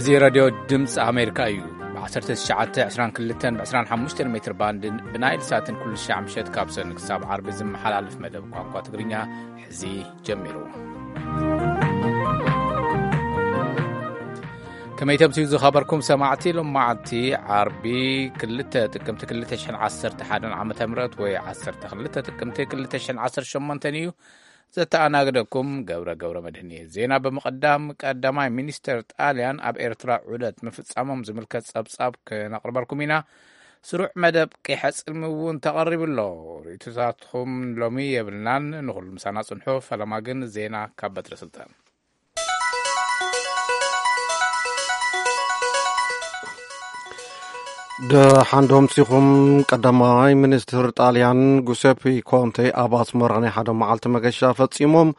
እዚ ራድዮ ድምፂ ኣሜሪካ እዩ። ብ1922 ብ25 ሜትር ባንድን ብናይል ሳትን ኩሉ ሻዕ ምሸት ካብ ሰኒ ክሳብ ዓርቢ ዝመሓላለፍ መደብ ቋንቋ ትግርኛ ሕዚ ጀሚሩ። ከመይ ተምስዩ ዝኸበርኩም ሰማዕቲ፣ ሎማዓንቲ ዓርቢ ክልተ ጥቅምቲ 2011 ዓመተ ምህረት ወይ 12 ጥቅምቲ 2018 እዩ። ዘተኣናግደኩም ገብረ ገብረ መድህን እየ። ዜና ብምቕዳም፣ ቀዳማይ ሚኒስተር ጣልያን ኣብ ኤርትራ ዑደት ምፍጻሞም ዝምልከት ጸብጻብ ክነቕርበልኩም ኢና። ስሩዕ መደብ ቂሐ ጽልሚ እውን ተቐሪቡ ኣሎ። ርእይቶታትኩም ሎሚ የብልናን። ንኹሉ ምሳና ጽንሑ። ፈለማ ግን ዜና ካብ በትረ ስልጣን። ደሓን ዶ ኣምሲኹም። ቀዳማይ ሚኒስትር ጣልያን ጉሴፒ ኮንቴ ኣብ ኣስመራ ናይ ሓደ መዓልቲ መገሻ ፈጺሞም።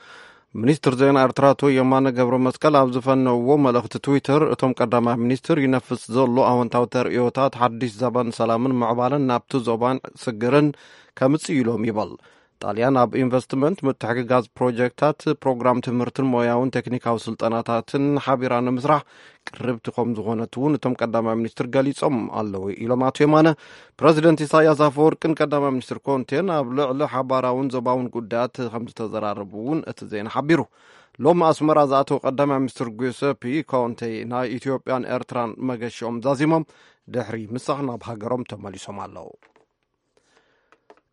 ሚኒስትር ዜና ኤርትራ ኣቶ የማነ ገብረ መስቀል ኣብ ዝፈነውዎ መልእኽቲ ትዊተር፣ እቶም ቀዳማይ ሚኒስትር ይነፍስ ዘሎ ኣወንታዊ ተርእዮታት ሓድሽ ዘበን ሰላምን ምዕባለን ናብቲ ዞባን ስግርን ከምጽእ ኢሎም ይበል። ጣልያን ኣብ ኢንቨስትመንት፣ ምትሕግጋዝ ፕሮጀክታት፣ ፕሮግራም ትምህርትን ሞያውን ቴክኒካዊ ስልጠናታትን ሓቢራ ንምስራሕ ቅርብቲ ከም ዝኾነት እውን እቶም ቀዳማይ ሚኒስትር ገሊጾም ኣለዉ ኢሎም ኣቶ የማነ። ፕረዚደንት ኢሳያስ ኣፈወርቅን ቀዳማይ ሚኒስትር ኮንቴን ኣብ ልዕሊ ሓባራውን ዞባውን ጉዳያት ከም ዝተዘራረቡ እውን እቲ ዜና ሓቢሩ። ሎም ኣስመራ ዝኣተው ቀዳማይ ሚኒስትር ጉሰፒ ኮንቴ ናይ ኢትዮጵያን ኤርትራን መገሽኦም ዛዚሞም ድሕሪ ምሳኽ ናብ ሃገሮም ተመሊሶም ኣለዉ።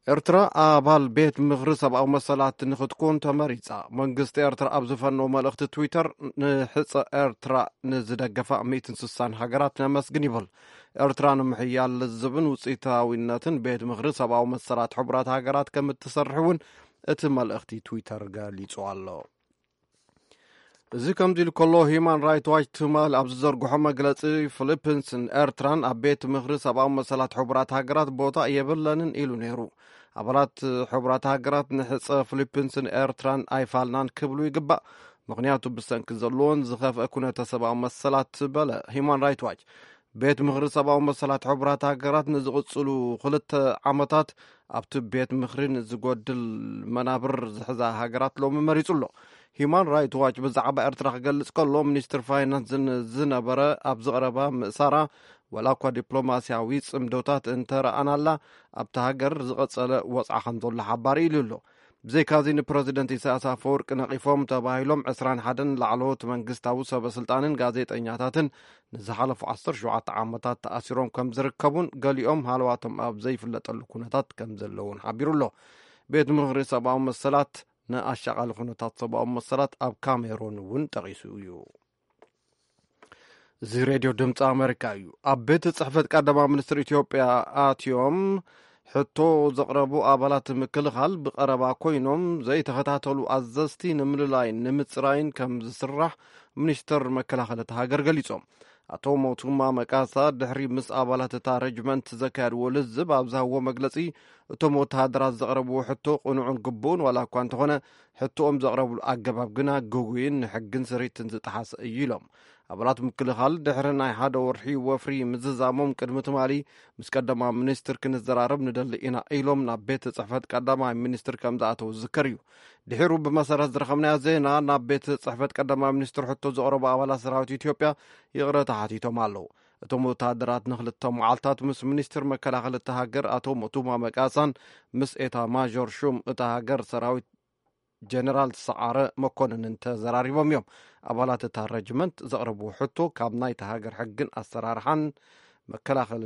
ኤርትራ ኣባል ቤት ምኽሪ ሰብኣዊ መሰላት ንኽትኮን ተመሪጻ። መንግስቲ ኤርትራ ኣብ ዝፈነው መልእኽቲ ትዊተር፣ ንሕጸ ኤርትራ ንዝደገፋ 160 ሃገራት ነመስግን ይብል። ኤርትራ ንምሕያል ልዝብን ውጽኢታዊነትን ቤት ምኽሪ ሰብኣዊ መሰላት ሕቡራት ሃገራት ከም እትሰርሕ እውን እቲ መልእኽቲ ትዊተር ገሊጹ ኣሎ። እዚ ከምዚ ኢሉ ከሎ፣ ሂማን ራይት ዋች ትማል ኣብ ዝዘርግሖ መግለጺ፣ ፊሊፒንስን ኤርትራን ኣብ ቤት ምኽሪ ሰብኣዊ መሰላት ሕቡራት ሃገራት ቦታ የብለንን ኢሉ ነይሩ። ኣባላት ሕቡራት ሃገራት ንሕጸ ፊሊፒንስን ኤርትራን ኣይፋልናን ክብሉ ይግባእ፣ ምኽንያቱ ብሰንኪ ዘለዎን ዝኸፍአ ኩነተ ሰብኣዊ መሰላት በለ ሂማን ራይት ዋች። ቤት ምኽሪ ሰብኣዊ መሰላት ሕቡራት ሃገራት ንዝቕጽሉ ክልተ ዓመታት ኣብቲ ቤት ምኽሪ ንዝጎድል መናብር ዝሕዛ ሃገራት ሎሚ መሪጹ ኣሎ። ሂማን ራይት ዋች ብዛዕባ ኤርትራ ክገልጽ ከሎ፣ ሚኒስትር ፋይናንስ ዝነበረ ኣብ ዝቐረባ ምእሳራ፣ ወላ እኳ ዲፕሎማስያዊ ጽምዶታት እንተረኣናላ፣ ኣብታ ሃገር ዝቐጸለ ወጽዓ ከም ዘሎ ሓባሪ ኢሉ ኣሎ። ብዘይካዚ ንፕረዚደንት ኢሳያስ ኣፈወርቂ ነቒፎም ተባሂሎም 21 ላዕለዎት መንግስታዊ ሰበ ስልጣንን ጋዜጠኛታትን ንዝሓለፉ 17 ዓመታት ተኣሲሮም ከም ዝርከቡን ገሊኦም ሃለዋቶም ኣብ ዘይፍለጠሉ ኩነታት ከም ዘለውን ሓቢሩ ኣሎ። ቤት ምኽሪ ሰብኣዊ መሰላት ንኣሻቓሊ ኩነታት ሰብኣዊ መሰላት ኣብ ካሜሮን እውን ጠቒሱ እዩ። እዚ ሬድዮ ድምፂ ኣሜሪካ እዩ። ኣብ ቤት ጽሕፈት ቀዳማይ ሚኒስትር ኢትዮጵያ ኣትዮም ሕቶ ዘቕረቡ ኣባላት ምክልኻል ብቐረባ ኮይኖም ዘይተኸታተሉ ኣዘዝቲ ንምልላይን ንምፅራይን ከም ዝስራሕ ሚኒስትር መከላኸሊ እታ ሃገር ገሊጾም። ኣቶ ሞቱማ መቃሳ ድሕሪ ምስ ኣባላት እታ ረጅመንት ዘካየድዎ ልዝብ ኣብ ዝሃብዎ መግለጺ፣ እቶም ወተሃደራት ዘቕረብዎ ሕቶ ቅኑዕን ግቡእን ዋላ እኳ እንተኾነ፣ ሕቶኦም ዘቕረብሉ ኣገባብ ግና ግጉይን ንሕግን ስሪትን ዝጠሓሰ እዩ ኢሎም። ኣባላት ምክልኻል ድሕሪ ናይ ሓደ ወርሒ ወፍሪ ምዝዛሞም ቅድሚ ትማሊ ምስ ቀዳማይ ሚኒስትር ክንዘራረብ ንደሊ ኢና ኢሎም ናብ ቤት ጽሕፈት ቀዳማይ ሚኒስትር ከም ዝኣተው ዝዝከር እዩ። ድሒሩ ብመሰረት ዝረኸብናዮ ዜና ናብ ቤት ጽሕፈት ቀዳማይ ሚኒስትር ሕቶ ዘቕረቡ ኣባላት ሰራዊት ኢትዮጵያ ይቕረታ ሓቲቶም ኣለዉ። እቶም ወተሃደራት ንክልተ መዓልታት ምስ ሚኒስትር መከላኸሊ እታ ሃገር ኣቶ ሞቱማ መቃሳን ምስ ኤታ ማዦር ሹም እታ ሃገር ሰራዊት ጀነራል ሰዓረ መኮንንን ተዘራሪቦም እዮም። ኣባላት እታ ረጅመንት ዘቕረብዎ ሕቶ ካብ ናይታ ሃገር ሕግን ኣሰራርሓን መከላኸሊ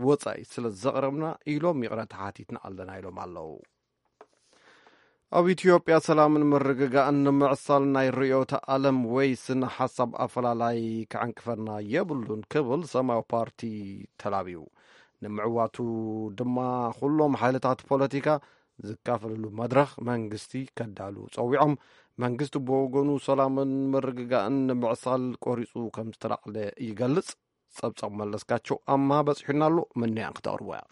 ወጻኢ ስለ ዘቕረብና ኢሎም ይቕረታ ሓቲትና ኣለና ኢሎም ኣለዉ። ኣብ ኢትዮጵያ ሰላምን ምርግጋእን ንምዕሳል ናይ ርዕዮተ ዓለም ወይ ስነ ሓሳብ ኣፈላላይ ክዕንቅፈና የብሉን ክብል ሰማያዊ ፓርቲ ተላብዩ። ንምዕዋቱ ድማ ኩሎም ሓይልታት ፖለቲካ ዝካፈልሉ መድረኽ መንግስቲ ከዳሉ ጸዊዖም። መንግስቲ ብወገኑ ሰላምን ምርግጋእን ንምዕሳል ቆሪጹ ከም ዝተላዕለ ይገልጽ። ጸብጻብ መለስካቸው ኣማ በጺሑና ኣሎ። ምንያን ክተቕርቦ እያ።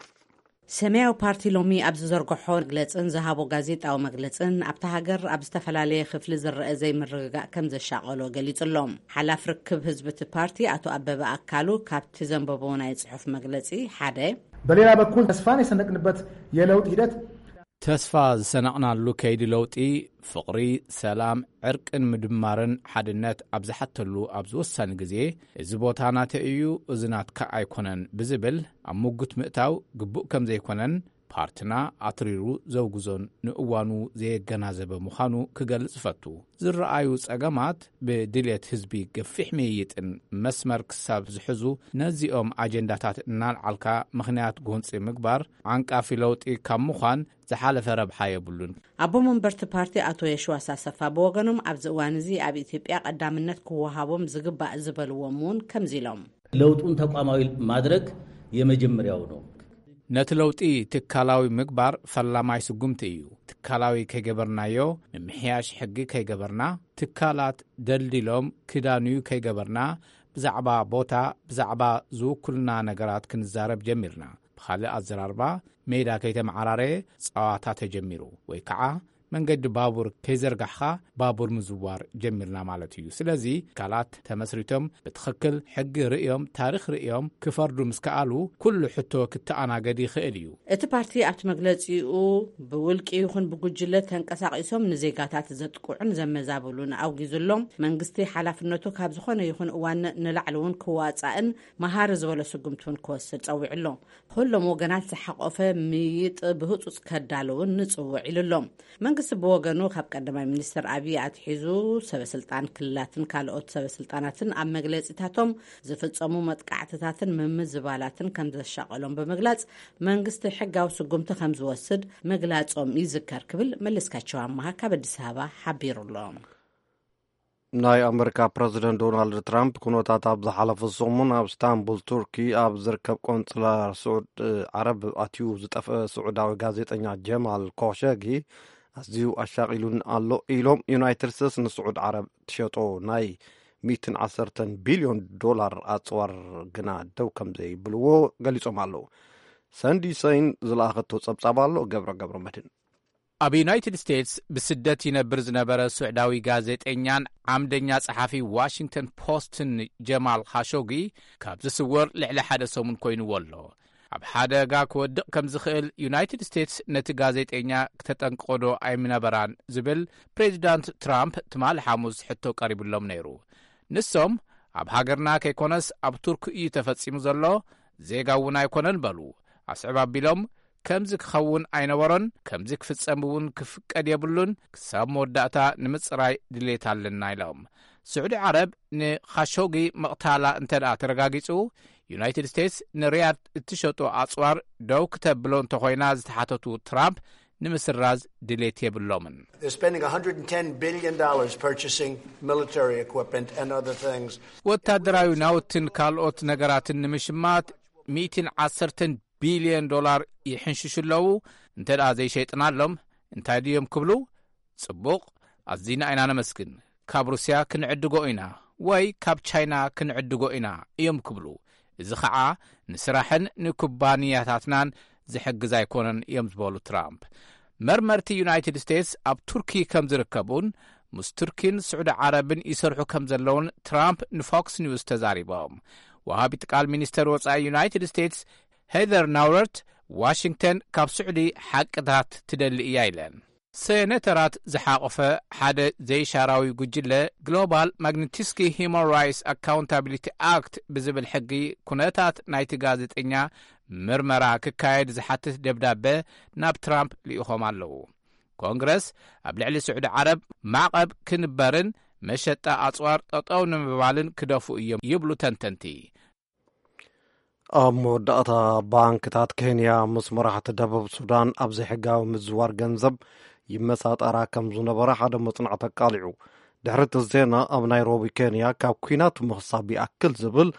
ሰማያዊ ፓርቲ ሎሚ ኣብ ዝዘርግሖ መግለጽን ዝሃቦ ጋዜጣዊ መግለጽን፣ ኣብታ ሃገር ኣብ ዝተፈላለየ ክፍሊ ዝረአ ዘይምርግጋእ ከም ዘሻቐሎ ገሊጹ ኣሎ። ሓላፍ ርክብ ህዝቢ እቲ ፓርቲ ኣቶ ኣበበ ኣካሉ ካብቲ ዘንበቦ ናይ ጽሑፍ መግለጺ ሓደ፣ በሌላ በኩል ተስፋን የሰነቅንበት የለውጥ ሂደት ተስፋ ዝሰነቕናሉ ከይዲ ለውጢ፣ ፍቕሪ፣ ሰላም፣ ዕርቅን ምድማርን ሓድነት ኣብ ዝሓተሉ ኣብዚ ወሳኒ ግዜ፣ እዚ ቦታ ናተይ እዩ፣ እዚ ናትካ ኣይኮነን ብዝብል ኣብ ምጉት ምእታው ግቡእ ከም ዘይኮነን፣ ፓርትና ኣትሪሩ ዘውግዞን ንእዋኑ ዘየገናዘበ ምዃኑ ክገልጽ እፈቱ። ዝረኣዩ ጸገማት ብድልየት ህዝቢ ገፊሕ ምይይጥን መስመር ክሳብ ዝሕዙ፣ ነዚኦም ኣጀንዳታት እናልዓልካ ምኽንያት ጎንጺ ምግባር ዓንቃፊ ለውጢ ካብ ምዃን ዝሓለፈ ረብሓ የብሉን። ኣቦ መንበርቲ ፓርቲ ኣቶ የሽዋስ ኣሰፋ ብወገኖም፣ ኣብዚ እዋን እዚ ኣብ ኢትዮጵያ ቀዳምነት ክወሃቦም ዝግባእ ዝበልዎም እውን ከምዚ ኢሎም። ለውጡን ተቋማዊ ማድረግ የመጀመሪያው ነው። ነቲ ለውጢ ትካላዊ ምግባር ፈላማይ ስጉምቲ እዩ። ትካላዊ ከይገበርናዮ፣ ምምሕያሽ ሕጊ ከይገበርና፣ ትካላት ደልዲሎም ክዳንዩ ከይገበርና፣ ብዛዕባ ቦታ፣ ብዛዕባ ዝውክሉና ነገራት ክንዛረብ ጀሚርና። ብኻልእ ኣዘራርባ፣ ሜዳ ከይተመዓራረየ ጸዋታ ተጀሚሩ፣ ወይ ከዓ መንገዲ ባቡር ከይዘርጋሕኻ ባቡር ምዝዋር ጀሚርና ማለት እዩ። ስለዚ ትካላት ተመስሪቶም ብትኽክል ሕጊ ርእዮም፣ ታሪኽ ርእዮም ክፈርዱ ምስ ከኣሉ፣ ኩሉ ሕቶ ክተኣናገድ ይኽእል እዩ። እቲ ፓርቲ ኣብቲ መግለጺኡ፣ ብውልቂ ይኹን ብጉጅለ ተንቀሳቒሶም ንዜጋታት ዘጥቅዑን ዘመዛብሉን ኣውጊዙ ኣሎ። መንግስቲ ሓላፍነቱ ካብ ዝኾነ ይኹን እዋን ንላዕሊ እውን ክዋጻእን መሃሪ ዝበሎ ስጉምቲ እውን ክወስድ ጸዊዑ ኣሎ። ኩሎም ወገናት ዝሓቆፈ ምይይጥ ብህጹጽ ከዳልውን ንጽውዕ ኢሉ ኣሎ። መንግስቲ ብወገኑ፣ ካብ ቀዳማይ ሚኒስትር ኣብይ ኣትሒዙ፣ ሰበስልጣን ክልላትን ካልኦት ሰበስልጣናትን ኣብ መግለጺታቶም ዝፍጸሙ መጥቃዕትታትን ምምዝባላትን ከም ዘሻቐሎም ብምግላጽ፣ መንግስቲ ሕጋዊ ስጉምቲ ከም ዝወስድ ምግላጾም ይዝከር ክብል መለስካቸው ኣማሃ ካብ ኣዲስ ኣበባ ሓቢሩ ኣሎ። ናይ ኣመሪካ ፕረዚደንት ዶናልድ ትራምፕ፣ ኩነታት ኣብ ዝሓለፈ ሰሙን ኣብ ስታንቡል ቱርኪ ኣብ ዝርከብ ቆንጽላ ስዑድ ዓረብ ኣትዩ ዝጠፍአ ስዑዳዊ ጋዜጠኛ ጀማል ኮሸጊ ኣዝዩ ኣሻቒሉን ኣሎ ኢሎም፣ ዩናይትድ ስቴትስ ንስዑድ ዓረብ ትሸጦ ናይ ሚእትን ዓሰርተን ቢልዮን ዶላር ኣጽዋር ግና ደው ከም ዘይብልዎ ገሊጾም ኣለዉ። ሰንዲ ሰይን ዝለኣኸቶ ጸብጻብ ኣሎ። ገብረ ገብረ መድህን። ኣብ ዩናይትድ ስቴትስ ብስደት ይነብር ዝነበረ ስዑዳዊ ጋዜጠኛን ዓምደኛ ጸሓፊ ዋሽንግተን ፖስትን ጀማል ኻሾጊ ካብ ዝስወር ልዕሊ ሓደ ሰሙን ኮይንዎ ኣሎ። ኣብ ሓደጋ ክወድቕ ከም ዝኽእል ዩናይትድ ስቴትስ ነቲ ጋዜጠኛ ክተጠንቅቖ ዶ ኣይምነበራን ዝብል ፕሬዚዳንት ትራምፕ ትማሊ ሓሙስ ሕቶ ቀሪብሎም ነይሩ። ንሶም፣ ኣብ ሃገርና ከይኮነስ ኣብ ቱርክ እዩ ተፈጺሙ ዘሎ፣ ዜጋ እውን ኣይኮነን በሉ። ኣስዕብ ኣቢሎም፣ ከምዚ ክኸውን ኣይነበሮን፣ ከምዚ ክፍጸም እውን ክፍቀድ የብሉን፣ ክሳብ መወዳእታ ንምጽራይ ድሌት ኣለና ኢሎም። ስዑዲ ዓረብ ንኻሾጊ ምቕታላ እንተ ደኣ ተረጋጊጹ፣ ዩናይትድ ስቴትስ ንሪያድ እትሸጦ ኣጽዋር ደው ክተብሎ እንተኾይና ዝተሓተቱ ትራምፕ፣ ንምስራዝ ድሌት የብሎምን። They're spending one hundred ten billion dollars purchasing military equipment and other things. ወታደራዊ ናውትን ካልኦት ነገራትን ንምሽማት ሚእትን ዓሰርተን ቢልዮን ዶላር ይሕንሽሹ ኣለዉ። እንተ ደኣ ዘይሸይጥናሎም እንታይ ድዮም ክብሉ? ጽቡቕ፣ ኣዚና ኢና ነመስግን። ካብ ሩስያ ክንዕድጎ ኢና ወይ ካብ ቻይና ክንዕድጎ ኢና እዮም ክብሉ። እዚ ኸዓ ንስራሕን ንኩባንያታትናን ዝሕግዝ ኣይኮነን እዮም ዝበሉ ትራምፕ። መርመርቲ ዩናይትድ ስቴትስ ኣብ ቱርኪ ከም ዝርከቡን ምስ ቱርኪን ስዑዲ ዓረብን ይሰርሑ ከም ዘለውን ትራምፕ ንፎክስ ኒውስ ተዛሪቦም። ወሃቢት ቃል ሚኒስተር ወጻኢ ዩናይትድ ስቴትስ ሄዘር ናውረርት፣ ዋሽንግተን ካብ ስዑዲ ሓቅታት ትደሊ እያ ኢለን። ሴኔተራት ዝሓቖፈ ሓደ ዘይሻራዊ ጉጅለ፣ ግሎባል ማግኒትስኪ ሂማን ራይትስ ኣካውንታቢሊቲ ኣክት ብዝብል ሕጊ፣ ኩነታት ናይቲ ጋዜጠኛ ምርመራ ክካየድ ዝሓትት ደብዳበ ናብ ትራምፕ ልኢኾም ኣለዉ። ኮንግረስ ኣብ ልዕሊ ስዑዲ ዓረብ ማዕቐብ ክንበርን መሸጣ ኣጽዋር ጠጠው ንምባልን ክደፉ እዮም ይብሉ ተንተንቲ። ኣብ መወዳእታ፣ ባንክታት ኬንያ ምስ መራሕቲ ደቡብ ሱዳን ኣብ ዘይሕጋዊ ምዝዋር ገንዘብ ይመሳጠራ ከም ዝነበራ ሓደ መጽናዕቲ ኣቃሊዑ። ድሕሪ እቲ ዜና፣ ኣብ ናይሮቢ ኬንያ ካብ ኲናት ምኽሳብ ይኣክል ዝብል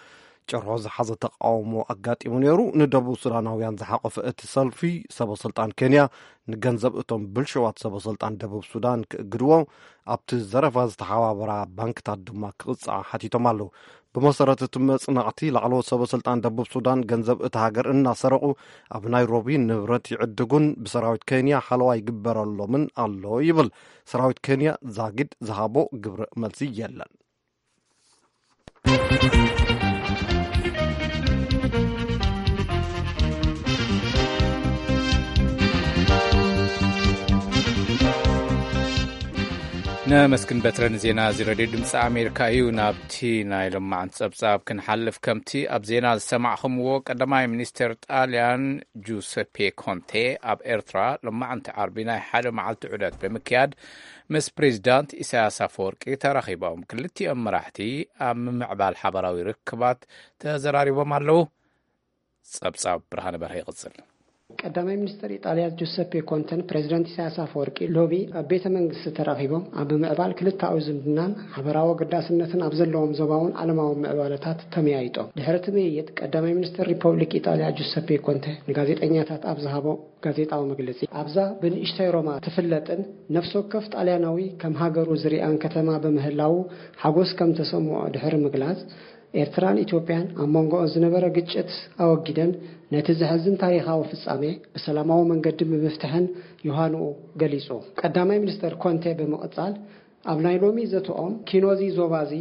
ጭርሖ ዝሓዘ ተቃውሞ ኣጋጢሙ ነይሩ። ንደቡብ ሱዳናውያን ዝሓቆፈ እቲ ሰልፊ፣ ሰበ ስልጣን ኬንያ ንገንዘብ እቶም ብልሽዋት ሰበ ስልጣን ደቡብ ሱዳን ክእግድዎ፣ ኣብቲ ዘረፋ ዝተሓባበራ ባንክታት ድማ ክቕጽዓ ሓቲቶም ኣለዉ። ብመሰረት እቲ መጽናዕቲ፣ ላዕለዎት ሰበ ስልጣን ደቡብ ሱዳን ገንዘብ እታ ሃገር እናሰረቑ ኣብ ናይሮቢ ንብረት ይዕድጉን ብሰራዊት ኬንያ ሓለዋ ይግበረሎምን ኣሎ ይብል። ሰራዊት ኬንያ ዛጊድ ዝሃቦ ግብረ መልሲ የለን። ነመስግን በትረ ንዜና እዚ ሬድዮ ድምፂ ኣሜሪካ እዩ። ናብቲ ናይ ሎማዓንቲ ጸብጻብ ክንሓልፍ፣ ከምቲ ኣብ ዜና ዝሰማዕኹምዎ፣ ቀዳማይ ሚኒስተር ጣልያን ጁሰፔ ኮንቴ ኣብ ኤርትራ ሎማዓንቲ ዓርቢ ናይ ሓደ መዓልቲ ዑደት ብምክያድ ምስ ፕሬዚዳንት ኢሳያስ ኣፈወርቂ ተራኺቦም። ክልቲኦም መራሕቲ ኣብ ምምዕባል ሓበራዊ ርክባት ተዘራሪቦም ኣለዉ። ጸብጻብ ብርሃነ በርሀ ይቕጽል። ቀዳማይ ሚኒስተር ኢጣልያ ጁሰፔ ኮንተን ፕሬዚደንት ኢሳያስ ኣፈወርቂ ሎሚ ኣብ ቤተ መንግስቲ ተራኺቦም ኣብ ምምዕባል ክልተኣዊ ዝምድናን ሓበራዊ ኣገዳስነትን ኣብ ዘለዎም ዞባውን ዓለማውን ምዕባለታት ተመያይጦም። ድሕሪ እቲ ምይይጥ ቀዳማይ ሚኒስተር ሪፐብሊክ ኢጣልያ ጁሰፔ ኮንተ ንጋዜጠኛታት ኣብ ዝሃቦ ጋዜጣዊ መግለጺ፣ ኣብዛ ብንእሽተይ ሮማ ትፍለጥን ነፍሲ ወከፍ ጣልያናዊ ከም ሃገሩ ዝሪኣን ከተማ ብምህላዉ ሓጎስ ከም ተሰምዖ ድሕሪ ምግላጽ፣ ኤርትራን ኢትዮጵያን ኣብ መንጎኦን ዝነበረ ግጭት ኣወጊደን ነቲ ዘሕዝን ታሪኻዊ ፍጻሜ ብሰላማዊ መንገዲ ብምፍትሐን ዮሃንኡ ገሊጹ። ቀዳማይ ሚኒስተር ኮንቴ ብምቕጻል፣ ኣብ ናይ ሎሚ ዘተኦም ኪኖዚ ዞባዚ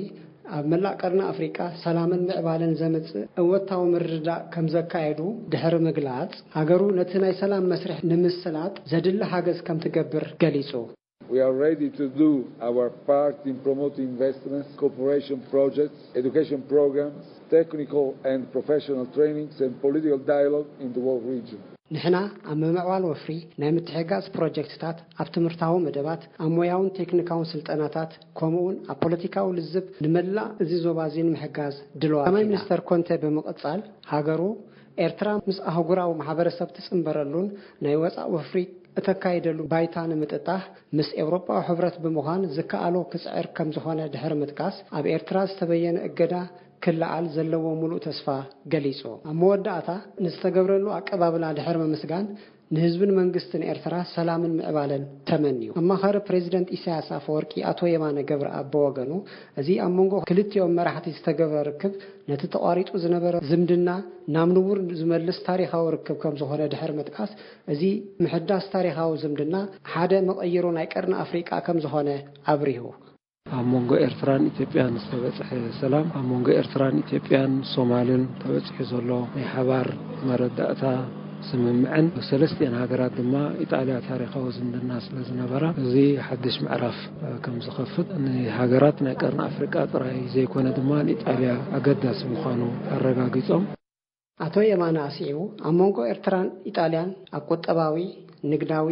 ኣብ መላእ ቀርኒ ኣፍሪቃ ሰላምን ምዕባለን ዘምጽእ እወታዊ ምርድዳእ ከም ዘካየዱ ድሕሪ ምግላጽ፣ ሃገሩ ነቲ ናይ ሰላም መስርሕ ንምስላጥ ዘድሊ ሓገዝ ከም ትገብር ገሊጹ። We are ready to do our part in promoting investments, cooperation projects, education programs, technical and professional trainings, and political dialogue in the whole region. ንሕና ኣብ ምምዕባል ወፍሪ ናይ ምትሕግጋዝ ፕሮጀክትታት፣ ኣብ ትምህርታዊ መደባት፣ ኣብ ሞያውን ቴክኒካውን ስልጠናታት፣ ከምኡውን ኣብ ፖለቲካዊ ልዝብ ንመላእ እዚ ዞባ እዚ ንምሕጋዝ ድልዋት ቀዳማይ ኢና። ሚኒስተር ኮንተ ብምቕጻል፣ ሃገሩ ኤርትራ ምስ ኣህጉራዊ ማሕበረሰብ ትጽንበረሉን ናይ ወጻእ ወፍሪ እተካይደሉ ባይታ ንምጥጣሕ ምስ ኤውሮጳዊ ሕብረት ብምዃን ዝከኣሎ ክጽዕር ከም ዝኾነ ድሕሪ ምጥቃስ፣ ኣብ ኤርትራ ዝተበየነ እገዳ ክለዓል ዘለዎ ምሉእ ተስፋ ገሊጹ። ኣብ መወዳእታ ንዝተገብረሉ ኣቀባብላ ድሕሪ ምምስጋን፣ ንህዝብን መንግስትን ኤርትራ ሰላምን ምዕባለን ተመንዩ። ኣማኻሪ ፕሬዚደንት ኢሳያስ ኣፈወርቂ ኣቶ የማነ ገብረኣብ ብወገኑ፣ እዚ ኣብ መንጎ ክልቲኦም መራሕቲ ዝተገብረ ርክብ ነቲ ተቋሪጹ ዝነበረ ዝምድና ናብ ንቡር ዝመልስ ታሪኻዊ ርክብ ከም ዝኾነ ድሕሪ ምጥቃስ፣ እዚ ምሕዳስ ታሪኻዊ ዝምድና ሓደ መቐይሮ ናይ ቀርኒ ኣፍሪቃ ከም ዝኾነ ኣብሪሁ። ኣብ መንጎ ኤርትራን ኢትዮጵያን ዝተበጽሐ ሰላም፣ ኣብ መንጎ ኤርትራን ኢትዮጵያን ሶማልን ተበጺሑ ዘሎ ናይ ሓባር መረዳእታ ስምምዕን፣ ሰለስቲአን ሃገራት ድማ ኢጣልያ ታሪኻዊ ዝምድና ስለ ዝነበራ፣ እዚ ሓድሽ ምዕራፍ ከም ዝኸፍት፣ ንሃገራት ናይ ቀርኒ ኣፍሪቃ ጥራይ ዘይኮነ ድማ ንኢጣልያ ኣገዳሲ ምዃኑ ኣረጋጊጾም። ኣቶ የማነ ኣስዒቡ፣ ኣብ መንጎ ኤርትራን ኢጣልያን ኣብ ቁጠባዊ፣ ንግዳዊ፣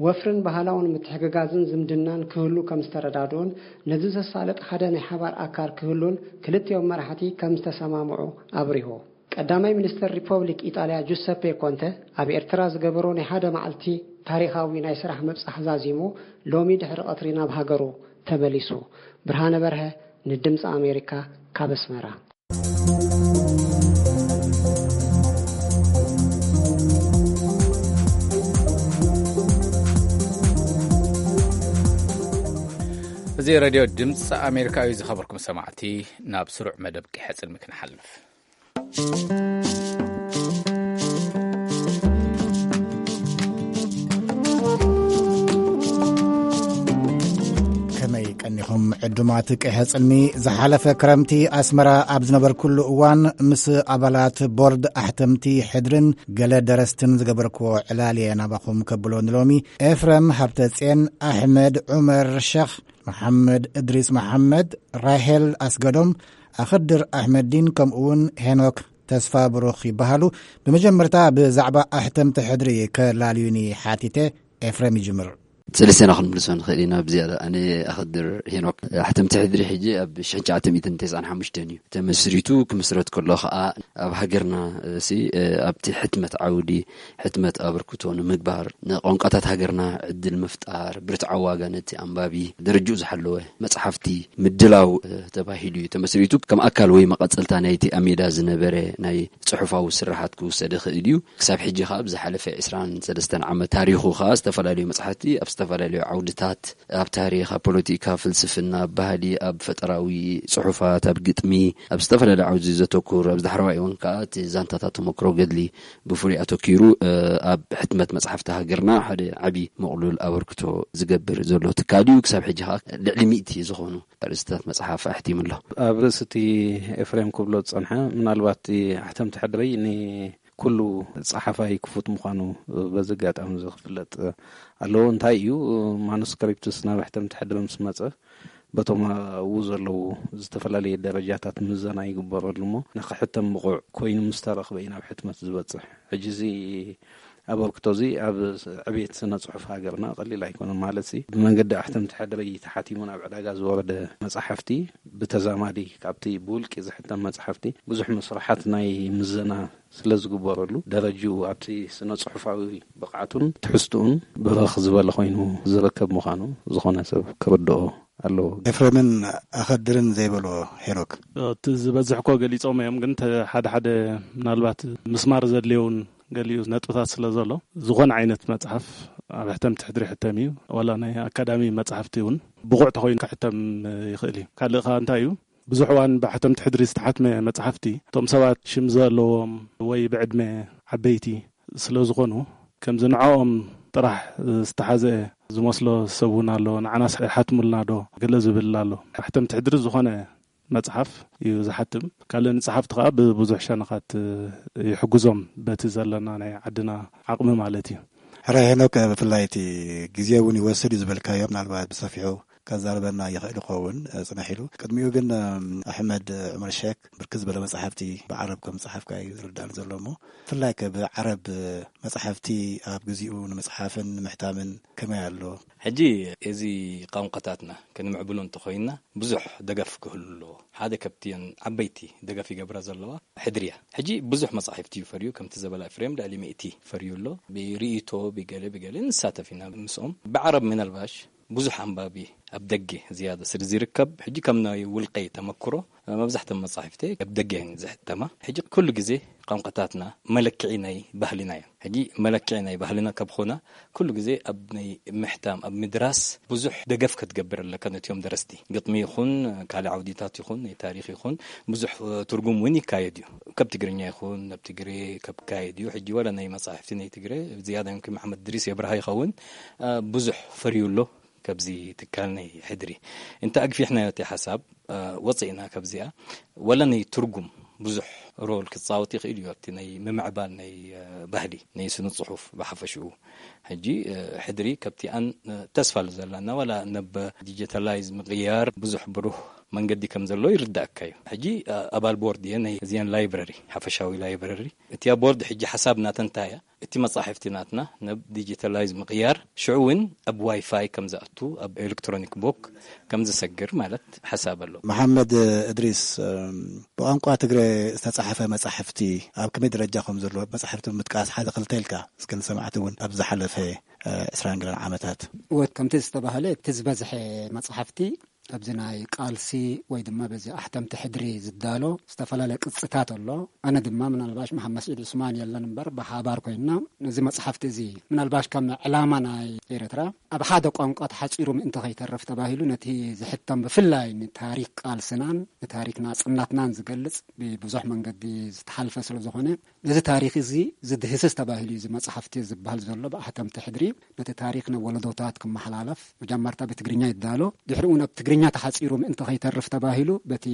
ወፍርን ባህላውን ምትሕግጋዝን ዝምድናን ክህሉ ከም ዝተረዳድኡን፣ ነዚ ዘሳልጥ ሓደ ናይ ሓባር ኣካል ክህሉን ክልቲኦም መራሕቲ ከም ዝተሰማምዑ ኣብሪሁ። ቀዳማይ ሚኒስተር ሪፐብሊክ ኢጣልያ ጁሰፔ ኮንተ ኣብ ኤርትራ ዝገበሮ ናይ ሓደ መዓልቲ ታሪኻዊ ናይ ስራሕ ምብጻሕ ዛዚሙ፣ ሎሚ ድሕሪ ቀትሪ ናብ ሃገሩ ተመሊሱ። ብርሃነ በርሀ ንድምጺ ኣሜሪካ ካብ ኣስመራ። እዚ ሬድዮ ድምፂ ኣሜሪካ እዩ። ዝኸበርኩም ሰማዕቲ፣ ናብ ስሩዕ መደብ ቂሐ ጽልሚ ክንሓልፍ። ከመይ ቀኒኹም ዕዱማት ቅሐ ጽልሚ? ዝሓለፈ ክረምቲ ኣስመራ ኣብ ዝነበርኩሉ እዋን ምስ ኣባላት ቦርድ ኣሕተምቲ ሕድርን ገለ ደረስትን ዝገበርክዎ ዕላል እየ ናባኹም ከብሎ። ንሎሚ ኤፍረም ሃብተጽዮን፣ ኣሕመድ ዑመር ሸኽ፣ መሓመድ እድሪስ መሓመድ፣ ራሄል ኣስገዶም፣ ኣኸድር ኣሕመዲን ከምኡውን ሄኖክ ተስፋ ብሩኽ ይበሃሉ። ብመጀመርታ ብዛዕባ ኣሕተምቲ ሕድሪ ከላልዩኒ ሓቲተ። ኤፍረም ይጅምር። ሰለስቴና ክንምልሶ ንኽእል ኢና ብዝያዳ። ኣነ ኣኸድር ሄኖክ። ኣሕተምቲ ሕድሪ ሕጂ ኣብ ሽሕን ትሽዓተ ሚእትን ተስዓን ሓሙሽተን እዩ ተመስሪቱ። ክምስረት ከሎ ኸኣ ኣብ ሃገርና፣ እ፣ ሲ፣ እ፣ ኣብቲ ሕትመት ዓውዲ፣ ሕትመት ኣበርክቶ ንምግባር፣ ንቋንቋታት ሃገርና ዕድል ምፍጣር፣ ብርትዓዊ ዋጋ ነቲ ኣንባቢ፣ ደረጅኡ ዝሓለወ መጽሓፍቲ ምድላው፣ እ፣ ተባሂሉ እዩ ተመስሪቱ። ከም ኣካል ወይ መቐጸልታ ናይቲ ኣብ ሜዳ ዝነበረ ናይ ጽሑፋዊ ስርሓት ክውሰድ ይኽእል እዩ። ክሳብ ሕጂ ኸኣ ኣብ ዝሓለፈ ዕስራን ሰለስተን ዓመት ታሪኹ ኸኣ ዝተፈላለዩ መጽሓፍቲ ኣብ ዝተፈላለዩ ዓውድታት፣ ኣብ ታሪኽ፣ ኣብ ፖለቲካ፣ ፍልስፍና፣ ኣብ ባህሊ፣ ኣብ ፈጠራዊ ጽሑፋት፣ ኣብ ግጥሚ፣ ኣብ ዝተፈላለዩ ዓውዲ ዘተኩር፣ ኣብዚ ዳሕረዋይ እዋን ከኣ እቲ ዛንታታት ተመክሮ ገድሊ ብፍሉይ ኣተኪሩ፣ እ፣ ኣብ ሕትመት መጽሓፍቲ ሃገርና ሓደ ዓቢ ምቕሉል ኣበርክቶ ዝገብር ዘሎ ትካል እዩ። ክሳብ ሕጂ ከኣ ልዕሊ ሚእቲ ዝኾኑ ኣርእስትታት መጽሓፍ ኣሕቲሙ ኣሎ። ኣብ ርእሲ እቲ ኤፍሬም ክብሎ ዝጸንሐ፣ ምናልባት እቲ ኣሕተምቲ ሕድሪ ን ኩሉ ጸሓፋይ ክፉት ምዃኑ በዚ ኣጋጣሚ እዚ ክፍለጥ ኣለዎ። እንታይ እዩ፣ ማኑስክሪፕትስ ናብ ሕተምቲ ሕድሪ ምስ መጸ፣ በቶም ኣብኡ ዘለዉ ዝተፈላለየ ደረጃታት ምዘና ይግበረሉ እሞ፣ ንኽሕተም ብቑዕ ኮይኑ ምስ ተረኽበ እዩ ናብ ሕትመት ዝበጽሕ። ሕጂ እዚ ኣበርክቶ እዚ ኣብ ዕቤት ስነ ጽሑፍ ሃገርና ቀሊል ኣይኮነን። ማለት ሲ ብመንገዲ ኣሕተምቲ ሕድሪ ተሓቲሙ ናብ ዕዳጋ ዝወረደ መጻሕፍቲ ብተዛማዲ ካብቲ ብውልቂ ዝሕተም መጻሕፍቲ ብዙሕ መስርሓት ናይ ምዘና ስለ ዝግበረሉ፣ ደረጅኡ ኣብቲ ስነ ጽሑፋዊ ብቕዓቱን ትሕዝትኡን ብርኽ ዝበለ ኮይኑ ዝርከብ ምዃኑ ዝኾነ ሰብ ክርድኦ ኣለዎ። ኤፍሬምን ኣኸድርን ዘይበሎ ሄኖክ። እቲ ዝበዝሕ እኮ ገሊጾም እዮም፣ ግን ተ-፣ ሓደ ሓደ ምናልባት ምስማር ዘድልየውን ገሊኡ ነጥብታት ስለ ዘሎ፣ ዝኾነ ዓይነት መጽሓፍ ኣብ ሕተምቲ ሕድሪ ይሕተም እዩ። ዋላ ናይ ኣካዳሚ መጽሓፍቲ እውን ብቑዕ ተኾይኑ ክሕተም ይኽእል እዩ። ካልእ ከኣ እንታይ እዩ፣ ብዙሕ እዋን ብሕተምቲ ሕድሪ ዝተሓትመ መጽሓፍቲ፣ እቶም ሰባት ሽም ዘለዎም ወይ ብዕድመ ዓበይቲ ስለ ዝኾኑ፣ ከምዚ ንዕኦም ጥራሕ ዝተሓዘ ዝመስሎ ሰብ እውን ኣሎ። ንዓናስ ሓትሙልና ዶ ገለ ዝብል ኣሎ። ሕተምቲ ሕድሪ ዝኾነ መጽሓፍ እዩ ዝሓትም። ካልእ ንጸሓፍቲ ከኣ ብብዙሕ ሸነኻት ይሕግዞም፣ በቲ ዘለና ናይ ዓድና ዓቕሚ ማለት እዩ። ሕረ ሄኖክ፣ ብፍላይ እቲ ግዜ እውን ይወስድ እዩ ዝበልካዮ፣ ምናልባት ብሰፊሑ ከዛርበና ይኽእል ይኸውን፣ እ፣ ጽንሕ ኢሉ። ቅድሚኡ ግን፣ እም፣ ኣሕመድ ዑመር ሼክ ብርክት ዝበለ መጻሕፍቲ ብዓረብ ከም ዝጸሓፍካ እዩ ዝርዳእኒ ዘሎ እሞ፣ ብፍላይ ከ ብዓረብ መጻሕፍቲ ኣብ ግዚኡ ንምጽሓፍን ንምሕታምን ከመይ ኣሎ? ሕጂ እዚ ቋንቋታትና ክንምዕብሎ እንተኾይንና ብዙሕ ደገፍ ክህሉ ኣለዎ። ሓደ ካብቲን ዓበይቲ ደገፍ ይገብራ ዘለዋ ሕድሪ እያ። ሕጂ ብዙሕ መጻሕፍቲ እዩ ፈርዩ፣ ከምቲ ዘበላ ኤፍሬም ልዕሊ ሚእቲ ፈርዩ ኣሎ። ብርእይቶ፣ ብገለ ብገለ ንሳተፍ ኢና ምስኦም። ብዓረብ ምናልባሽ ብዙሕ ኣንባቢ ኣብ ደገ ዝያዳ ስለ ዝርከብ፣ ሕጂ ከም ናይ ውልቀይ ተመክሮ፣ መብዛሕትኦም መጻሕፍቲ ኣብ ደገ እየን ዝሕተማ። ሕጂ ኩሉ ግዜ ቋንቋታትና መለክዒ ናይ ባህልና እዮም። ሕጂ መለክዒ ናይ ባህልና ካብ ኾና፣ ኩሉ ግዜ ኣብ ናይ ምሕታም፣ ኣብ ምድራስ ብዙሕ ደገፍ ክትገብር ኣለካ ነቲኦም ደረስቲ። ግጥሚ ይኹን፣ ካልእ ዓውዲታት ይኹን፣ ናይ ታሪኽ ይኹን፣ ብዙሕ፣ እ፣ ትርጉም እውን ይካየድ እዩ። ካብ ትግርኛ ይኹን፣ ናብ ትግሬ ካብ ካየድ እዩ። ሕጂ ዋላ ናይ መጻሕፍቲ ናይ ትግሬ፣ ዝያዳ ይምክን መሓመድ ድሪስ የብርሃ ይኸውን፣ እ፣ ብዙሕ ፈርዩ ኣሎ። ካብዚ ትካል ናይ ሕድሪ እንተ ኣግፊሕናዮ እቲ ሓሳብ፣ እ፣ ወፂእና ካብዚኣ፣ ወላ ናይ ትርጉም ብዙሕ ሮል ክፃወት ይኽእል እዩ ኣብቲ ናይ ምምዕባል ናይ፣ እ፣ ባህሊ ናይ ስነ ፅሑፍ ብሓፈሽኡ። ሕጂ፣ እ፣ ሕድሪ ካብቲኣን፣ እ፣ ተስፋ ኣለዘላና፣ ዋላ ነብ ዲጂታላይዝ ምቕያር ብዙሕ ብሩህ መንገዲ ከም ዘሎ ይርዳእካ እዩ። ሕጂ፣ እ፣ ኣባል ቦርድ እየ ናይ እዚኣን ላይብረሪ፣ ሓፈሻዊ ላይብረሪ። እቲያ ቦርድ ሕጂ ሓሳብ ናተን እንታይ እያ? እቲ መጻሕፍቲ ናትና ናብ ዲጂታላይዝ ምቕያር፣ ሽዑ እውን ኣብ ዋይፋይ ከም ዝኣቱ፣ ኣብ ኤሌክትሮኒክ ቦክ ከም ዝሰግር ማለት ሓሳብ ኣሎ። መሓመድ እድሪስ፣ እም፣ ብቋንቋ ትግረ ዝተጻሕፈ መጻሕፍቲ ኣብ ከመይ ደረጃ ከም ዘሎ መጻሕፍቲ ብምጥቃስ ሓደ ክልተ ኢልካ እስከ ንሰማዕቲ እውን ኣብ ዝሓለፈ፣ እ፣ ዕስራን ገለን ዓመታት። እወ፣ ከምቲ ዝተባህለ እቲ ዝበዝሐ መጻሕፍቲ ኣብዚ ናይ ቃልሲ ወይ ድማ በዚ ኣሕተምቲ ሕድሪ ዝዳሎ ዝተፈላለየ ቅጽታት ኣሎ። ኣነ ድማ ምናልባሽ መሓመድ ስዒድ ዑስማን የለን እምበር ብሓባር ኮይንና ነዚ መጽሓፍቲ እዚ ምናልባሽ ከም ዕላማ ናይ ኤርትራ ኣብ ሓደ ቋንቋ ተሓጺሩ ምእንቲ ከይተርፍ ተባሂሉ ነቲ ዝሕተም ብፍላይ ንታሪክ ቃልስናን ንታሪክ ናጽነትናን ዝገልጽ ብብዙሕ መንገዲ ዝተሓልፈ ስለ ዝኾነ ነዚ ታሪኽ እዚ ዝድህስስ ተባሂሉ እዩ እዚ መጽሓፍቲ ዝበሃል ዘሎ ብኣሕተምቲ ሕድሪ። ነቲ ታሪኽ ናብ ወለዶታት ክመሓላለፍ መጀመርታ ብትግርኛ ይዳሎ፣ ድሕሪኡ ናብ ትግርኛ ተሓጺሩ ምእንቲ ከይተርፍ ተባሂሉ በቲ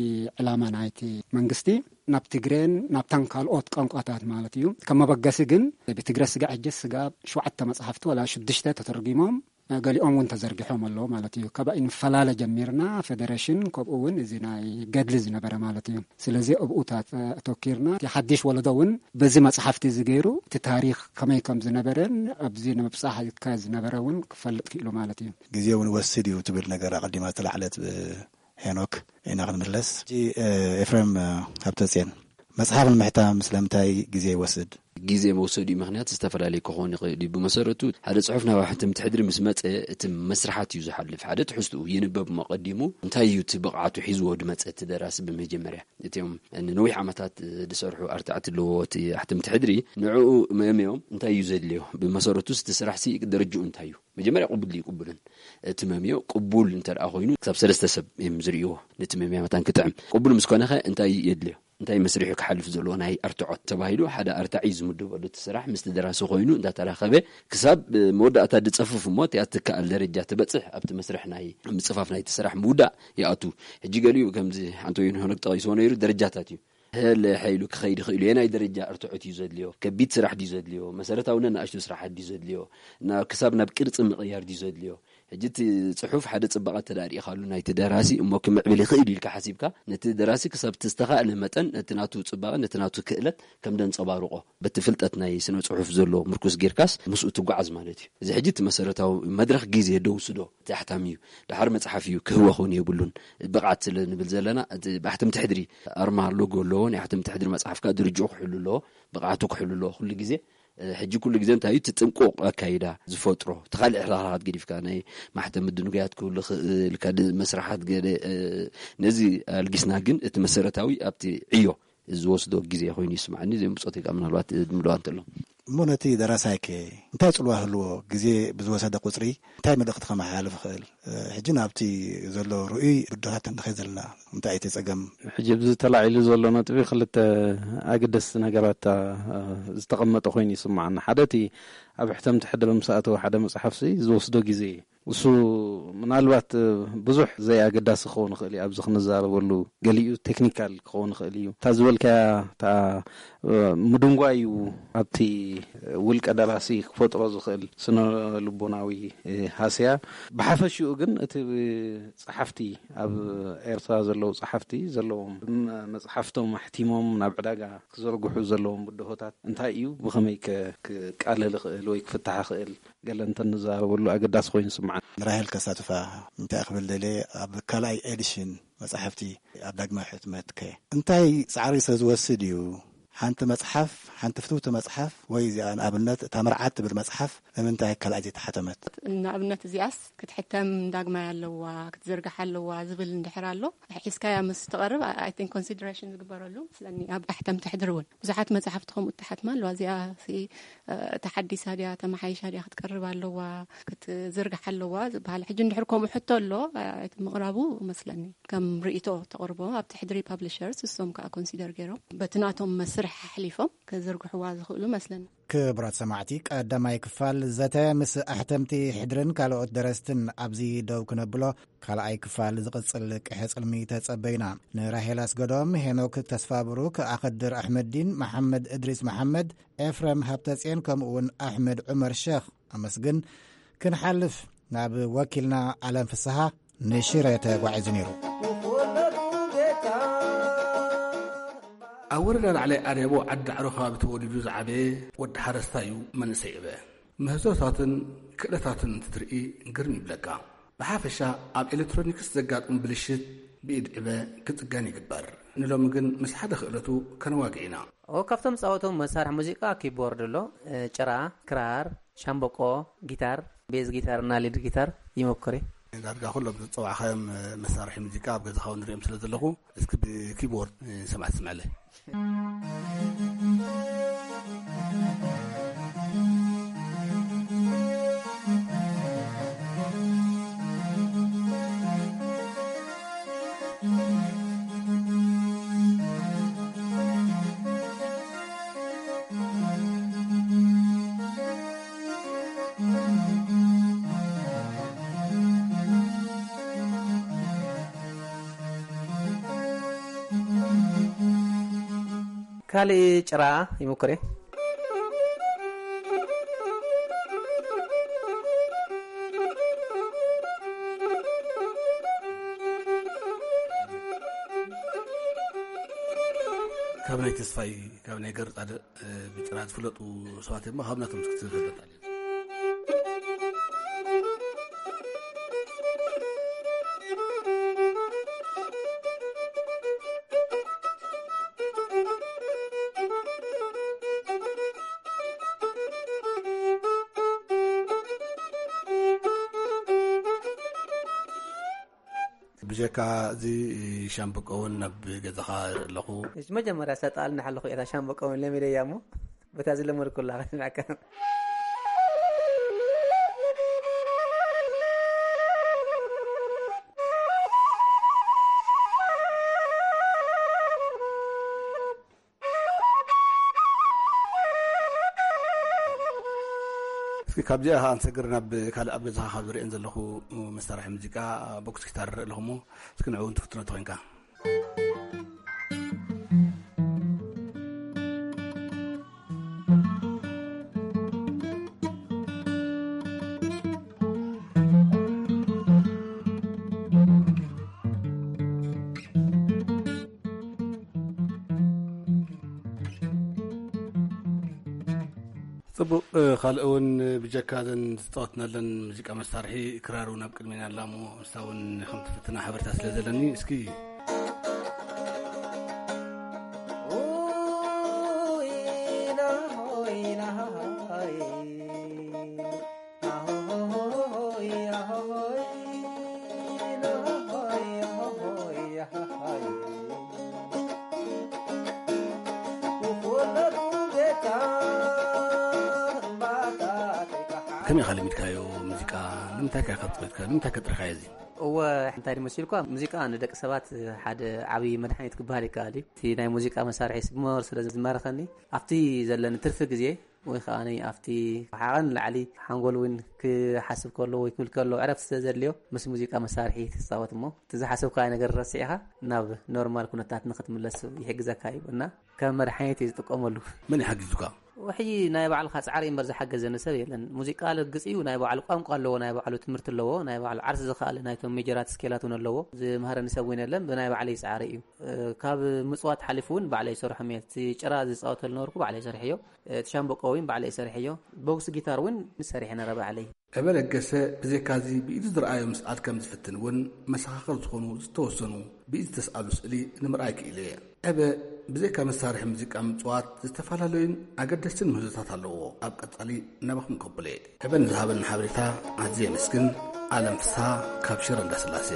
ዕላማ ናይቲ መንግስቲ ናብ ትግሬን ናብተን ካልኦት ቋንቋታት ማለት እዩ። ከም መበገሲ ግን ብትግረ ስጋዕ ሕጂ ስጋብ ሸውዓተ መጽሓፍቲ ወላ ሽዱሽተ ተተርጒሞም፣ ገሊኦም እውን ተዘርጊሖም ኣለዉ ማለት እዩ። ካብ ኣይንፈላለ ጀሚርና ፌደሬሽን፣ ከምኡ እውን እዚ ናይ ገድሊ ዝነበረ ማለት እዩ። ስለዚ ኣብኡታት፣ እ፣ ኣተኪርና እቲ ሓድሽ ወለዶ እውን በዚ መጽሓፍቲ እዚ ገይሩ እቲ ታሪኽ ከመይ ከም ዝነበረን ኣብዚ ንምብጻሕ ዝካየድ ዝነበረ እውን ክፈልጥ ክኢሉ ማለት እዩ። ግዜ እውን ወስድ እዩ ትብል ነገር ኣቐዲማ ዝተላዕለት ብ-፣ ሄኖክ ኢና ክንምለስ። ሕጂ፣ እ፣ ኤፍሬም፣ እ፣ ሃብተጽዮን፣ መጽሓፍ ንምሕታም ስለምንታይ ግዜ ይወስድ? ግዜ መውሰዲኡ ምኽንያት ዝተፈላለየ ክኸውን ይኽእል እዩ። ብመሰረቱ ሓደ ጽሑፍ ናብ ኣሕተምቲ ሕድሪ ምስ መጸ እቲ መስርሓት እዩ ዝሓልፍ። ሓደ ትሕዝትኡ ይንበብ እሞ ቀዲሙ እንታይ እዩ እቲ ብቕዓቱ ሒዝዎ ዝመጸ እቲ ደራሲ ብመጀመርያ። እቲኦም ንነዊሕ ዓመታት ዝሰርሑ ኣርታዕቲ ኣለዎ እቲ ኣሕተምቲ ሕድሪ። ንዕኡ መምዮም እንታይ እዩ ዘድልዮ? ብመሰረቱ እቲ ስራሕ ሲ ደረጅኡ እንታይ እዩ? መጀመርያ ቅቡል ድዩ ቅቡልን? እቲ መምዮ ቅቡል እንተ ደኣ ኮይኑ ክሳብ ሰለስተ ሰብ እዮም ዝርእይዎ። ነቲ መምያ መታን ክጥዕም። ቅቡል ምስ ኮነኸ እንታይ የድልዮ? እንታይ መስርሑ ክሓልፍ ዘለዎ ናይ ኣርትዖት ተባሂሉ ሓደ ኣርታዒ ዝምደበሉ እቲ ስራሕ ምስቲ ደራሲ ኮይኑ እንዳተራኸበ ክሳብ መወዳእታ ዝጸፍፍ እሞ እቲኣ ትከኣል ደረጃ ትበጽሕ ኣብቲ መስርሕ ናይ ምጽፋፍ ናይቲ ስራሕ ምውዳእ ይኣቱ። ሕጂ ገሊኡ ከምዚ ኣንቶዮን ሆነግ ጠቒስዎ ነይሩ ደረጃታት እዩ። ህልሕ ኢሉ ክኸይድ ይኽእል እዩ። የናይ ደረጃ እርትዖት እዩ ዘድልዮ? ከቢድ ስራሕ ድዩ ዘድልዮ? መሰረታዊ ነናእሽቱ ስራሓት ድዩ ዘድልዮ? ናብ፣ ክሳብ ናብ ቅርጺ ምቕያር ድዩ ዘድልዮ? ሕጂ እቲ ጽሑፍ ሓደ ጽባቐ ተዳሪእኻሉ ናይቲ ደራሲ እሞ ክምዕብል ይኽእል ኢልካ ሓሲብካ፣ ነቲ ደራሲ ክሳብ እቲ ዝተኻእለ መጠን ነቲ ናቱ ጽባቐ፣ ነቲ ናቱ ክእለት ከም ደንጸባርቖ፣ በቲ ፍልጠት ናይ ስነ ጽሑፍ ዘሎ ምርኩስ ጌርካስ ምስኡ ትጓዓዝ ማለት እዩ። እዚ ሕጂ እቲ መሰረታዊ መድረኽ ግዜ ደውስዶ እቲ ኣሕታሚ እዩ። ደሓር መጽሓፍ እዩ ክህወ ክውን የብሉን። ብቕዓት ስለ ንብል ዘለና፣ እቲ ብኣሕተምቲ ሕድሪ ኣርማ ሎጎ ኣለዎ። ናይ ኣሕተምቲ ሕድሪ መጽሓፍ ከኣ ድርጅኡ ክሕሉ ኣለዎ፣ ብቕዓቱ ክሕሉ ኣለዎ። ኩሉ ግዜ፣ እ፣ ሕጂ ኩሉ ግዜ እንታይ እዩ እቲ ጥንቁቕ ኣካይዳ ዝፈጥሮ? እቲ ካልእ ሕላላት ገዲፍካ ናይ ማሕተም ምድንጉያት ክህሉ ይኽእል፣ ካልእ መስርሓት ገለ፣ እ፣ ነዚ ኣልጊስና ግን እቲ መሰረታዊ ኣብቲ ዕዮ ዝወስዶ ግዜ ኮይኑ ይስምዓኒ። እዚኦም ብጾተይ ከኣ ምናልባት ድምድዋ እንተሎ። እሞ ነቲ ደራሳይከ እንታይ ጽልዋ ህልዎ? ግዜ ብዝወሰደ ቁጽሪ እንታይ መልእኽቲ ከመሓላልፍ ይኽእል? ሕጂ ናብቲ ዘሎ ርኡይ ብድሆታት እንድኸይ ዘለና እንታይ እቲ ጸገም? ሕጂ ኣብዚ ተላዒሉ ዘሎ ነጥቢ ክልተ ኣገደስቲ ነገራት፣ እ፣ ዝተቐመጠ ኮይኑ ይስምዓኒ። ሓደ እቲ ኣብ ሕተምቲ ሕድሪ ምስ ኣተወ ሓደ መጽሓፍሲ ዝወስዶ ግዜ እዩ። እሱ ምናልባት፣ እ፣ ብዙሕ ዘይኣገዳሲ ክኸውን ይኽእል እዩ። ኣብዚ ክንዛረበሉ ገሊኡ ቴክኒካል ክኸውን ይኽእል እዩ። እታ ዝበልካያ እታ፣ እ፣ ምድንጓይ እዩ ኣብቲ ውልቀ ደራሲ ክፈጥሮ ዝኽእል ስነ ልቦናዊ፣ እ፣ ሃስያ። ብሓፈሽኡ ግን እቲ ጸሓፍቲ ኣብ ኤርትራ ዘለዉ ጸሓፍቲ ዘለዎም ም-፣ መጽሓፍቶም ኣሕቲሞም ናብ ዕዳጋ ክዘርግሑ ዘለዎም ብድሆታት እንታይ እዩ? ብኸመይ ከ-፣ ክቃለል ይኽእል ወይ ክፍታሕ ይኽእል? ገለ እንተንዛረበሉ ኣገዳሲ ኮይኑ ይስምዓኒ። ንራሄል ከሳትፋ እንታይ ክብል ደልየ፣ ኣብ ካልኣይ ኤዲሽን መጻሕፍቲ ኣብ ዳግማይ ሕትመት ከ እንታይ ጻዕሪ ስለ ዝወስድ እዩ? ሓንቲ መጽሓፍ፣ ሓንቲ ፍትውቲ መጽሓፍ ወይ እዚኣ ንኣብነት እታ መርዓት ትብል መጽሓፍ ንምንታይ ካልኣይ ዘይተሓተመት? ንኣብነት እዚኣስ ክትሕተም ዳግማይ ኣለዋ፣ ክትዝርጋሕ ኣለዋ ዝብል እንድሕር ኣሎ፣ ሒዝካያ ምስ ትቐርብ፣ I think ኮንሲደሬሽን ዝግበረሉ መስለኒ። ኣብ ኣሕተምቲ ሕድሪ እውን ብዙሓት መጻሕፍቲ ከምኡ እተሓትማ ኣለዋ። እዚኣ ሲ፣ እ፣ ተሓዲሳ ድያ፣ ተመሓይሻ ድያ፣ ክትቀርብ ኣለዋ፣ ክትዝርጋሕ ኣለዋ ዝበሃል። ሕጂ እንድሕር ከምኡ ሕቶ ኣሎ፣ እ፣ ምቕራቡ መስለኒ ከም ርእይቶ ተቕርቦ ኣብቲ ሕድሪ ፓብሊሸርስ፣ እሶም ከኣ ኮንሲደር ገይሮም በቲ ናቶም መስርሕ ኣሕሊፎም ክዝርግሕዋ ዝኽእሉ መስለኒ። ክቡራት ሰማዕቲ፣ ቀዳማይ ክፋል ዘተ ምስ ኣሕተምቲ ሕድርን ካልኦት ደረስትን ኣብዚ ደው ክነብሎ፣ ካልኣይ ክፋል ዝቕጽል ቅሐ ጽልሚ ተጸበዩና። ንራሄል ኣስገዶም፣ ሄኖክ ተስፋብሩክ፣ ኣኸድር ኣሕመዲን፣ መሓመድ እድሪስ መሓመድ፣ ኤፍረም ሃብተጽዮን፣ ከምኡውን ኣሕመድ ዑመር ሸኽ ኣመስግን። ክንሓልፍ ናብ ወኪልና ኣለም ፍስሃ ንሽረ ተጓዒዙ ነይሩ። ኣብ ወረዳ ላዕላይ ኣርያቦ ዓዲ ዳዕሮ ከባቢ ተወሊዱ ዝዓበየ ወዲ ሓረስታይ እዩ፣ መንእሰይ ዕበ። ምህዞታትን ክእለታትን እንትትርኢ ግርም ይብለካ። ብሓፈሻ ኣብ ኤሌክትሮኒክስ ዘጋጥሙ ብልሽት ብኢድ ዕበ ክጽገን ይግበር። ንሎሚ ግን ምስ ሓደ ክእለቱ ከነዋግዕ ኢና። ኦ፣ ካብቶም ዝጻወቶም መሳርሒ ሙዚቃ ኪቦርድ ኣሎ፣ እ፣ ጭራ፣ ክራር፣ ሻምበቆ፣ ጊታር፣ ቤዝ ጊታር እና ሊድ ጊታር ይሞክር እየ። ዳርጋ ኩሎም ዝጸዋዕካዮም መሳርሒ ሙዚቃ ኣብ ገዛኻ እውን ንሪኦም ስለ ዘለኹ፣ እስኪ ብኪቦርድ ንሰማዕ ትስምዐለይ። ካልእ ጭራ ይምኩር እየ። ካብ ናይ ተስፋይ፣ ካብ ናይ ገርጻድቕ፣ እ፣ ብጭራ ዝፍለጡ ሰባት እዮም። ካብ ናቶም እስኪ ትፈልጥ ኣለና። ብጀካ እዚ ሻምብቆ እውን ናብ ገዛኻ ኣለኹ። እሺ፣ መጀመርያ ሰጣልና ሓለኹ እታ ሻምብቆ እውን ለሚደያ እሞ፣ በታ ዝለመድኩላ ከስምዐካ። እስኪ ካብዚኣ ኸዓ ንሰግር ናብ ካልእ ኣብ ገዛኻ ካብ ዝርእየን ዘለኹ መሳርሒ ሙዚቃ፣ ቦክስ ጊታር ንርኢ ኣለኹ እሞ፣ እስኪ ንዕኡ እውን ትፍትኖ ተኾይንካ። ጽቡቕ። ካልእ እውን ብጀካ ዘን ዝጻወትናለን ሙዚቃ መሳርሒ ክራር እውን ኣብ ቅድሜና ኣላ እሞ፣ ንሳ እውን ከም ትፍትና ሓበሬታ ስለ ዘለኒ፣ እስኪ ከመይ ኢኻ ለሚድካዮ ሙዚቃ? ንምንታይ ከ ኢኻ ተጸዊትካ? ንምንታይ ከ ጥርካዮ እዚ? እወ፣ እንታይ ድዩ መሲልኳ፣ ሙዚቃ ንደቂ ሰባት ሓደ ዓብዪ መድሓኒት ክበሃል ይከኣል እዩ። እቲ ናይ ሙዚቃ መሳርሒ ስመር ስለ ዝማረኸኒ፣ ኣብቲ ዘለኒ ትርፊ ግዜ ወይ ከዓ ኣብቲ ሓቐን ላዕሊ ሓንጎል እውን ክሓስብ ከሎ ወይ ክብል ከሎ ዕረፍቲ ስለ ዘድልዮ፣ ምስ ሙዚቃ መሳርሒ ትፃወት እሞ፣ እቲ ዝሓሰብካዮ ነገር ረሲዕኻ ናብ ኖርማል ኩነታት ንክትምለስ ይሕግዘካ እዩ እና ከም መድሓኒት እዩ ዝጥቀመሉ። መን ይሓጊዙካ? ውሕጂ ናይ ባዕልኻ ጻዕሪ እምበር ዝሓገዘኒ ሰብ የለን። ሙዚቃ ርግጽ እዩ፣ ናይ ባዕሉ ቋንቋ ኣለዎ፣ ናይ ባዕሉ ትምህርቲ ኣለዎ፣ ናይ ባዕሉ ዓርሲ ዝኸኣለ ናይቶም ሜጀራት ስኬላት እውን ኣለዎ። ዝምሃረኒ ሰብ እውን የለን፣ ብናይ ባዕለይ ጻዕሪ እዩ። እ፣ ካብ ምጽዋት ሓሊፉ እውን ባዕለይ ይሰርሖም እየ። እቲ ጭራ ዝጻወተሉ ነበርኩ ባዕለይ ሰሪሐዮ። እ፣ እቲ ሻምበቆ እውን ባዕለይ ሰሪሐዮ። ቦክስ ጊታር እውን ሰሪሐ ነረ ባዕለይ። ዕበ ለገሰ ብዘይካዚ ብኢዱ ዝረኣዮም ስዓት ከም ዝፍትን እውን መሰኻኽር ዝኾኑ ዝተወሰኑ ብኢድ ዝተስኣሉ ስእሊ ንምርኣይ ክኢለ እየ። ዕበ ብዘይካ መሳርሒ ሙዚቃ ምጽዋት ዝተፈላለዩን ኣገደስትን ምህዞታት ኣለዎ። ኣብ ቀጻሊ ናባኹም ከብሎ እየ። ዕበ ንዝሃበና ሓበሬታ ኣዝየ የመስግን። ኣለም ፍስሃ ካብ ሽረ እንዳስላሴ።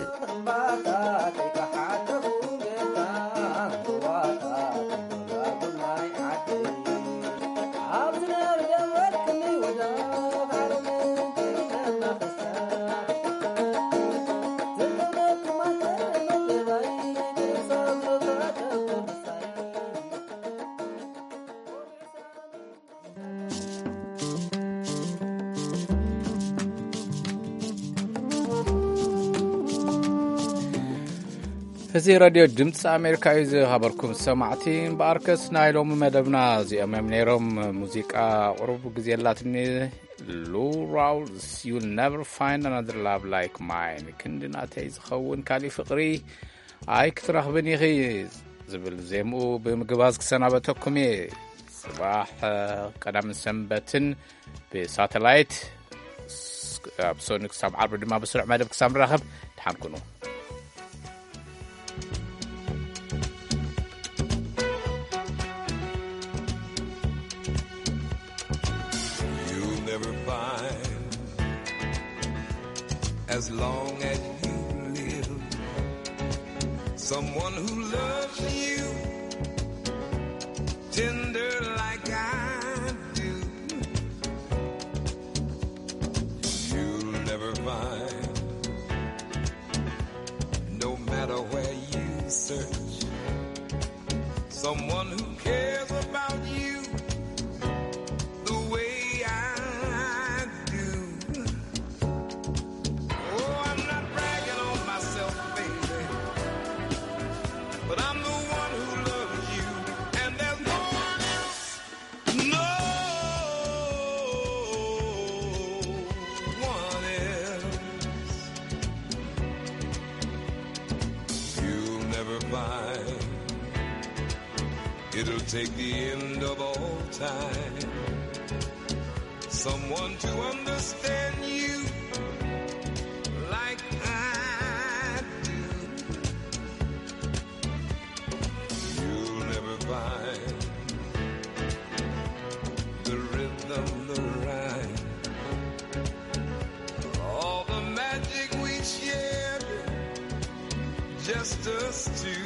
እዚ ሬድዮ ድምፂ ኣሜሪካ እዩ። ዝኸበርኩም ሰማዕቲ፣ እምበኣርከስ ናይ ሎሚ መደብና እዚኦም እዮም ነይሮም። ሙዚቃ ቁሩብ ግዜ ኣላትኒ። Lou Rawls, You'll Never Find Another Love Like Mine, ክንዲ ናተይ ዝኸውን ካሊእ ፍቕሪ ኣይክትረኽብን ኢኺ ዝብል ዜምኡ ብምግባዝ ክሰናበተኩም እየ። ጽባሕ ቀዳምን ሰንበትን ብሳተላይት፣ ኣብ ሶኒ ክሳብ ዓርቢ ድማ ብስሩዕ መደብ ክሳብ ንራኸብ፣ ደሓን ኩኑ። You'll never find, as long as you live, someone who loves you tender like I do. You'll never find, no matter where you search, someone who cares about you the way I do. Oh, I'm not bragging on myself, baby, but I'm the one who loves you, and there's no one else, no one else. You'll never find, it'll take the end of all time, someone to understand you like I do. You'll never find the rhythm, the rhyme, all the magic we shared, just us two.